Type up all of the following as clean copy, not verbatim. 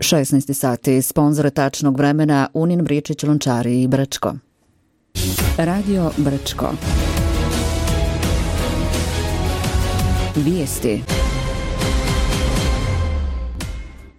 16 sati, sponzor tačnog vremena Unin, Bričić, Lončari i Brčko. Radio Brčko. Vijesti.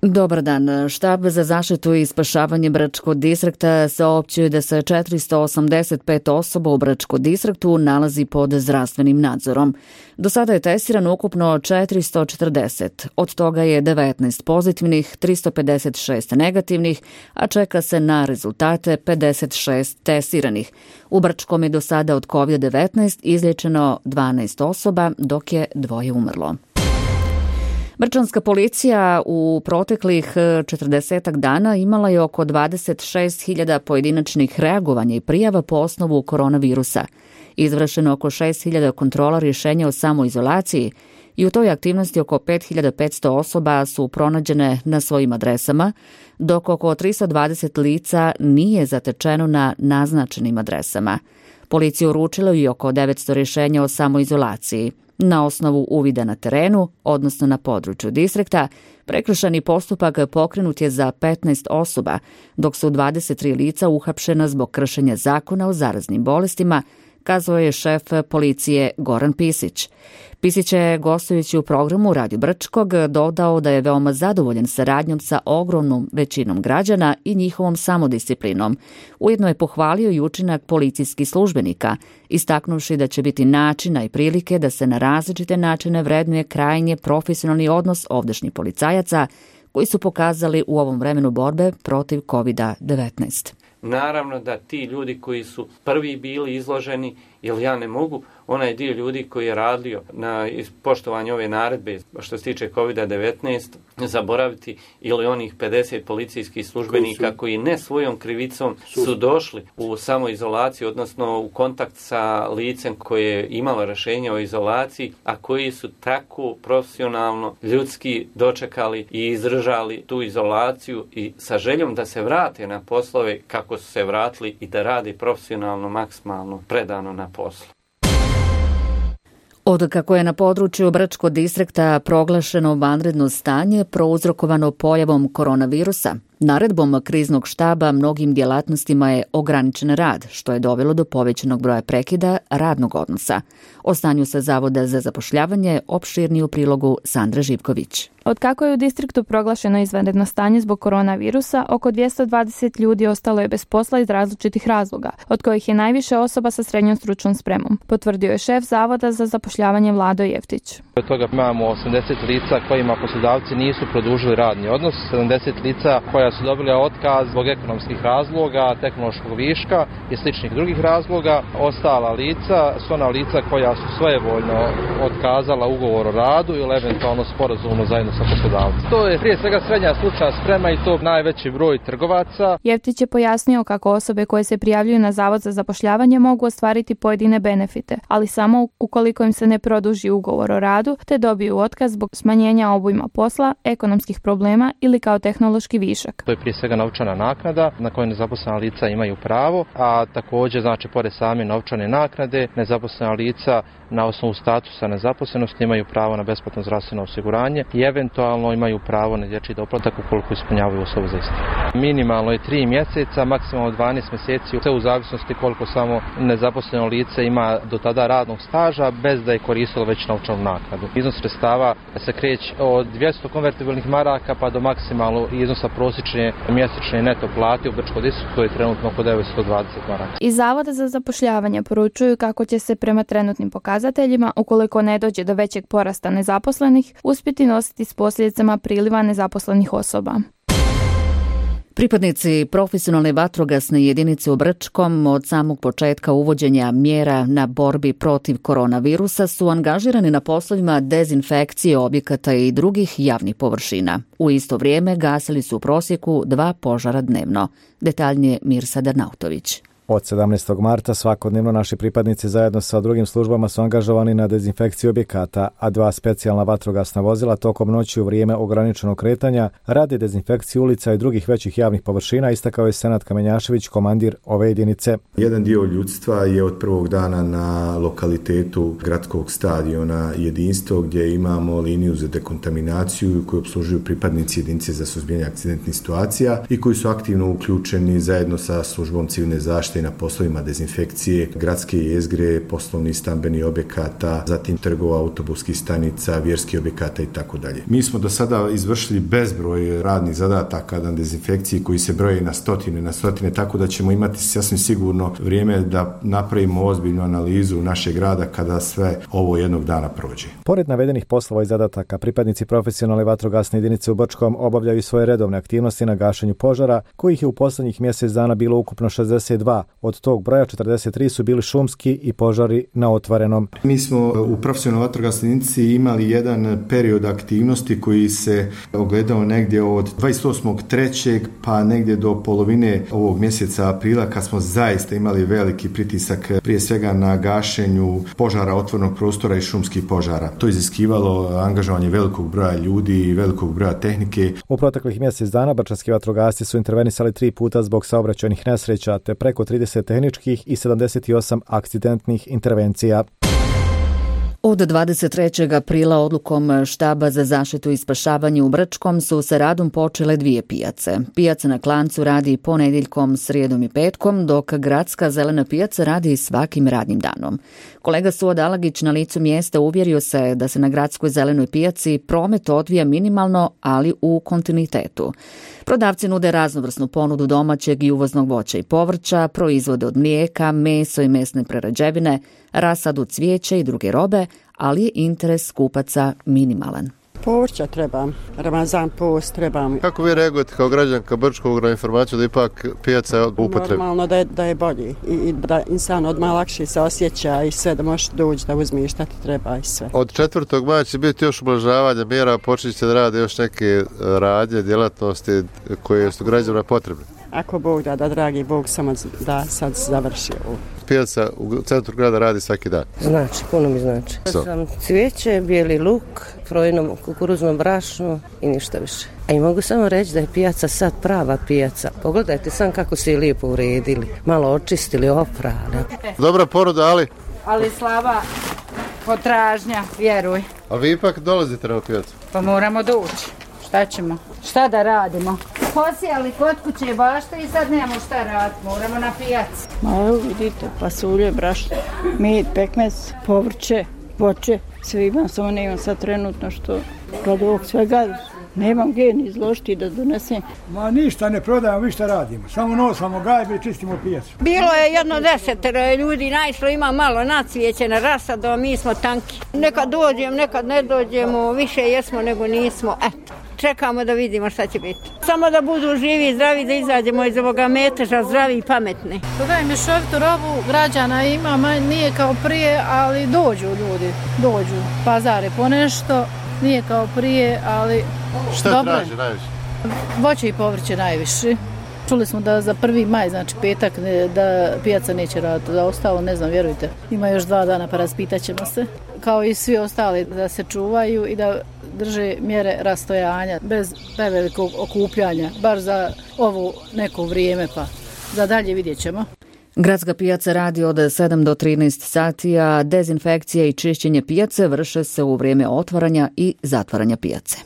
Dobar dan. Štab za zaštitu i spašavanje Brčko distrikta saopćuje da se 485 osoba u Brčko distriktu nalazi pod zdravstvenim nadzorom. Do sada je testirano ukupno 440, od toga je 19 pozitivnih, 356 negativnih, a čeka se na rezultate 56 testiranih. U Brčkom je do sada od COVID-19 izliječeno 12 osoba, dok je 2 umrlo. Brčanska policija u proteklih 40 dana imala je oko 26.000 pojedinačnih reagovanja i prijava po osnovu koronavirusa. Izvršeno oko 6.000 kontrola rješenja o samoizolaciji i u toj aktivnosti oko 5.500 osoba su pronađene na svojim adresama, dok oko 320 lica nije zatečeno na naznačenim adresama. Policija uručila i oko 900 rješenja o samoizolaciji. Na osnovu uvida na terenu, odnosno na području distrikta, prekršajni postupak pokrenut je za 15 osoba, dok su 23 lica uhapšena zbog kršenja zakona o zaraznim bolestima, kazao je šef policije Goran Pisić. Pisić je, gostujući u programu Radio Brčkog, dodao da je veoma zadovoljan saradnjom sa ogromnom većinom građana i njihovom samodisciplinom. Ujedno je pohvalio i učinak policijskih službenika, istaknuvši da će biti načina i prilike da se na različite načine vrednuje krajnje profesionalni odnos ovdašnjih policajaca koji su pokazali u ovom vremenu borbe protiv COVID-19. Naravno da ti ljudi koji su prvi bili izloženi, jer ja ne mogu onaj dio ljudi koji je radio na poštovanju ove naredbe što se tiče COVID-19 zaboraviti, ili onih 50 policijskih službenika koji ne svojom krivicom su došli u samoizolaciju, odnosno u kontakt sa licem koje je imalo rješenje o izolaciji, a koji su tako profesionalno, ljudski dočekali i izdržali tu izolaciju i sa željom da se vrate na poslove kako su se vratili i da radi profesionalno, maksimalno, predano na poslu. Od kako je na području Brčko distrikta proglašeno vanredno stanje prouzrokovano pojavom koronavirusa, naredbom kriznog štaba mnogim djelatnostima je ograničen rad, što je dovelo do povećanog broja prekida radnog odnosa. O stanju sa Zavoda za zapošljavanje opširnije u prilogu Sandra Živković. Od kako je u distriktu proglašeno izvanredno stanje zbog koronavirusa, oko 220 ljudi ostalo je bez posla iz različitih razloga, od kojih je najviše osoba sa srednjom stručnom spremom, potvrdio je šef Zavoda za zapošljavanje Vlado Jeftić. Od toga imamo 80 lica kojima poslodavci nisu produžili radni odnos, 70 lica koja su dobili otkaz zbog ekonomskih razloga, tehnološkog viška i sličnih drugih razloga. Ostala lica su ona lica koja su svojevoljno otkazala ugovor o radu ili eventualno sporazumno zajedno sa poslodavcem. To je prije svega srednja stručna sprema i to najveći broj trgovaca. Jeftić je pojasnio kako osobe koje se prijavljuju na Zavod za zapošljavanje mogu ostvariti pojedine benefite, ali samo ukoliko im se ne produži ugovor o radu te dobiju otkaz zbog smanjenja obujma posla, ekonomskih problema ili kao tehnološki višak. To je prije svega novčana naknada na koju nezaposlena lica imaju pravo, a također znači pored same novčane naknade nezaposlena lica na osnovu statusa nezaposlenosti imaju pravo na besplatno zdravstveno osiguranje i eventualno imaju pravo na dječji doplatak ukoliko ispunjavaju uslove za isto. Minimalno je 3 mjeseca, maksimalno 12 mjeseci, sve u zavisnosti koliko samo nezaposleno lice ima do tada radnog staža bez da je koristilo već novčanu naknadu. Iznos sredstava se kreće od 200 konvertibilnih maraka pa do maksimalno iznosa prosječne mjesečne neto plate u Brčko distriktu, to je trenutno oko 920 maraka. Iz Zavoda za zapošljavanje poručuju kako će se prema trenutnim pokazateljima, ukoliko ne dođe do većeg porasta nezaposlenih, uspjeti nositi s posljedicama priliva nezaposlenih osoba. Pripadnici profesionalne vatrogasne jedinice u Brčkom od samog početka uvođenja mjera na borbi protiv koronavirusa su angažirani na poslovima dezinfekcije objekata i drugih javnih površina. U isto vrijeme gasili su u prosjeku 2 požara dnevno. Detaljnije Mirsa Darnautović. Od 17. marta svakodnevno naši pripadnici zajedno sa drugim službama su angažovani na dezinfekciji objekata, a 2 specijalna vatrogasna vozila tokom noći u vrijeme ograničenog kretanja radi dezinfekciju ulica i drugih većih javnih površina, istakao je Senad Kamenjašević, komandir ove jedinice. Jedan dio ljudstva je od prvog dana na lokalitetu gradskog stadiona Jedinstvo, gdje imamo liniju za dekontaminaciju koju obslužuju pripadnici jedinice za suzbijanje akcidentnih situacija i koji su aktivno uključeni zajedno sa službom civilne zaštite na poslovima dezinfekcije gradske jezgre, poslovnih stambenih objekata, zatim trgova, autobuskih stanica, vjerskih objekata i tako dalje. Mi smo do sada izvršili bezbroj radnih zadataka na dezinfekciji koji se broje na stotine, tako da ćemo imati sasvim sigurno vrijeme da napravimo ozbiljnu analizu našeg grada kada sve ovo jednog dana prođe. Pored navedenih poslova i zadataka, pripadnici profesionalne vatrogasne jedinice u Brčkom obavljaju svoje redovne aktivnosti na gašenju požara, kojih je u posljednjih mjesec dana bilo ukupno 62. Od tog broja 43 su bili šumski i požari na otvorenom. Mi smo u profesionalnoj vatrogasnoj jedinici imali jedan period aktivnosti koji se ogledao negdje od 28.3. pa negdje do polovine ovog mjeseca aprila, kad smo zaista imali veliki pritisak prije svega na gašenju požara otvorenog prostora i šumskih požara. To je iziskivalo angažovanje velikog broja ljudi i velikog broja tehnike. U proteklih mjesec dana brčanski vatrogasci su intervenisali 3 puta zbog saobraćajnih nesreća te preko 30 tehničkih i 78 akcidentnih intervencija. Od 23. aprila odlukom Štaba za zaštitu i spašavanje u Brčkom su sa radom počele 2 pijace. Pijaca na Klancu radi ponedjeljkom, srijedom i petkom, dok gradska zelena pijaca radi svakim radnim danom. Kolega Suad Alagić na licu mjesta uvjerio se da se na gradskoj zelenoj pijaci promet odvija minimalno, ali u kontinuitetu. Prodavci nude raznovrsnu ponudu domaćeg i uvoznog voća i povrća, proizvode od mlijeka, meso i mesne prerađevine, rasadu cvijeća i druge robe, ali je interes kupaca minimalan. Povrća treba, Ramazan post treba. Kako vi reagujete kao građanka Brčkog na informaciju da ipak pijaca je upotrebna? Normalno da je bolji i da insan odmah lakše se osjeća i sve da možeš doći da uzmiješ šta ti treba i sve. Od 4. maja će biti još ublažavanja mjera, počinjete da rade još neke radnje, djelatnosti koje su građanima potrebne. Ako Bog da, dragi Bog, samo da sad završi ovo. Pijaca u centru grada radi svaki dan. Znači, puno mi znači. Sam cvijeće, bijeli luk, frojnom kukuruznom brašnu i ništa više. A i mogu samo reći da je pijaca sad prava pijaca. Pogledajte sam kako se je lijepo uredili, malo očistili, oprali. Dobra ponuda, ali slaba potražnja, vjeruj. A vi ipak dolazite na pijacu? Pa moramo doći. Šta ćemo? Šta da radimo? Posijali kod kuće bašte i sad nemamo šta raditi, moramo na pijacu. Ma evo vidite, pasulje, brašno, med, pekmez, povrće, voće, sve imam, samo ne imam sad trenutno što kod ovog svega nemam gdje ni izložiti da donesem. Ma ništa ne prodajemo, vi šta radimo, samo nosamo gajbe i čistimo pijacu. Bilo je jedno 10 ljudi, najšlo ima malo nacvijeće na rasadu, a mi smo tanki. Nekad dođemo, nekad ne dođemo, više jesmo nego nismo, eto. Čekamo da vidimo šta će biti. Samo da budu živi i zdravi, da izađemo iz ovoga meteža, zdravi i pametni. Prodaj mješovitu robu, građana ima, nije kao prije, ali dođu ljudi, dođu. Pazare po nešto, nije kao prije, ali šta dobro. Traži najviše? Voće i povrće najviše. Čuli smo da za 1. maj, znači petak, da pijaca neće raditi, da ostalo ne znam, vjerujte. Ima još 2 dana pa raspitat ćemo se. Kao i svi ostali da se čuvaju i da drže mjere rastojanja bez prevelikog okupljanja, bar za ovo neko vrijeme, pa za dalje vidjet ćemo. Gradska pijaca radi od 7 do 13 sati, a dezinfekcija i čišćenje pijace vrše se u vrijeme otvaranja i zatvaranja pijace.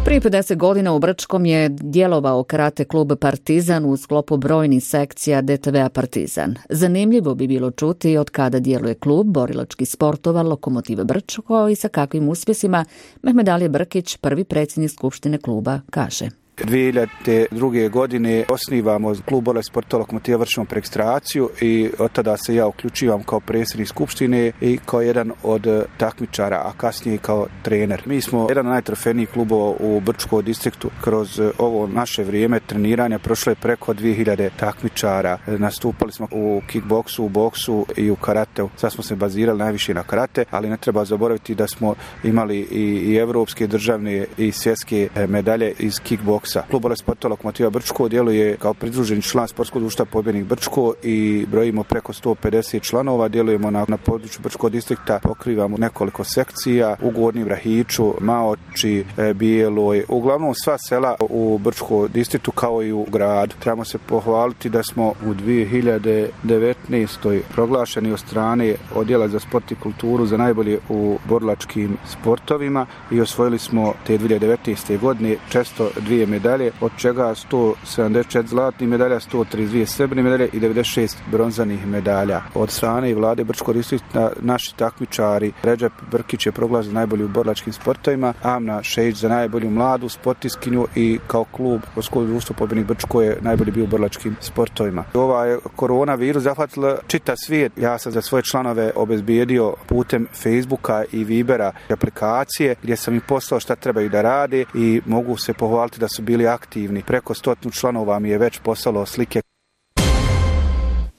Prije 50 godina u Brčkom je djelovao karate klub Partizan u sklopu brojnih sekcija DTV-a Partizan. Zanimljivo bi bilo čuti od kada djeluje klub borilačkih sportova Lokomotive Brčko i sa kakvim uspjesima. Mehmed Ali Brkić, prvi predsjednik skupštine kluba, kaže. 2002. godine osnivamo klub borilačkih sportova Lokomotiva, vršimo preregistraciju i od tada se ja uključivam kao predsjednik skupštine i kao jedan od takmičara, a kasnije kao trener. Mi smo jedan od najtrofejnijih klubova u Brčkom distriktu. Kroz ovo naše vrijeme treniranja prošlo je preko 2000 takmičara. Nastupali smo u kickboksu, u boksu i u karateu. Sad smo se bazirali najviše na karate, ali ne treba zaboraviti da smo imali i evropske, državne i svjetske medalje iz kickboksa. Foksa. Klub Bolest sporta Lokomotiva Brčko djeluje kao pridruženi član sportskog društva Pobjednik Brčko i brojimo preko 150 članova, djelujemo na području Brčkog distrikta, pokrivamo nekoliko sekcija u Gornjem Rahiću, Maoči, Bijeloj, uglavnom sva sela u Brčkom distriktu kao i u gradu. Trebamo se pohvaliti da smo u 2019. proglašeni od strane Odjela za sport i kulturu za najbolje u borilačkim sportovima i osvojili smo te 2019. godine 402 medalje, od čega 174 zlatnih medalja, 132 srebrne medalje i 96 bronzanih medalja. Od strane vlade Brčkog distrikta naši takmičari Redžep Brkić je proglašen najbolji u borilačkim sportovima, Amna Šejić za najbolju mladu sportiskinju i kao klub Sportskog društva Pobjednik Brčko je najbolji bio u borilačkim sportovima. Ovaj koronavirus zahvatila čitav svijet. Ja sam za svoje članove obezbijedio putem Facebooka i Vibera aplikacije gdje sam im poslao šta trebaju da rade i mogu se pohvaliti da su bili aktivni. Preko 100 članova mi je već poslalo slike.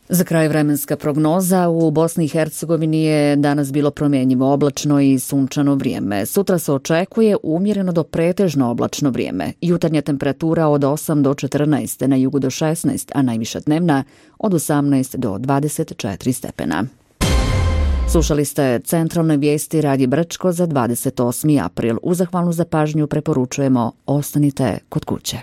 Za kraj vremenska prognoza u Bosni i Hercegovini je danas bilo promjenjivo oblačno i sunčano vrijeme. Sutra se očekuje umjereno do pretežno oblačno vrijeme. Jutarnja temperatura od 8 do 14, na jugu do 16, a najviša dnevna od 18 do 24 stepena. Slušali ste centralne vijesti Radija Brčko za 28. april. Uz zahvalnu za pažnju preporučujemo ostanite kod kuće.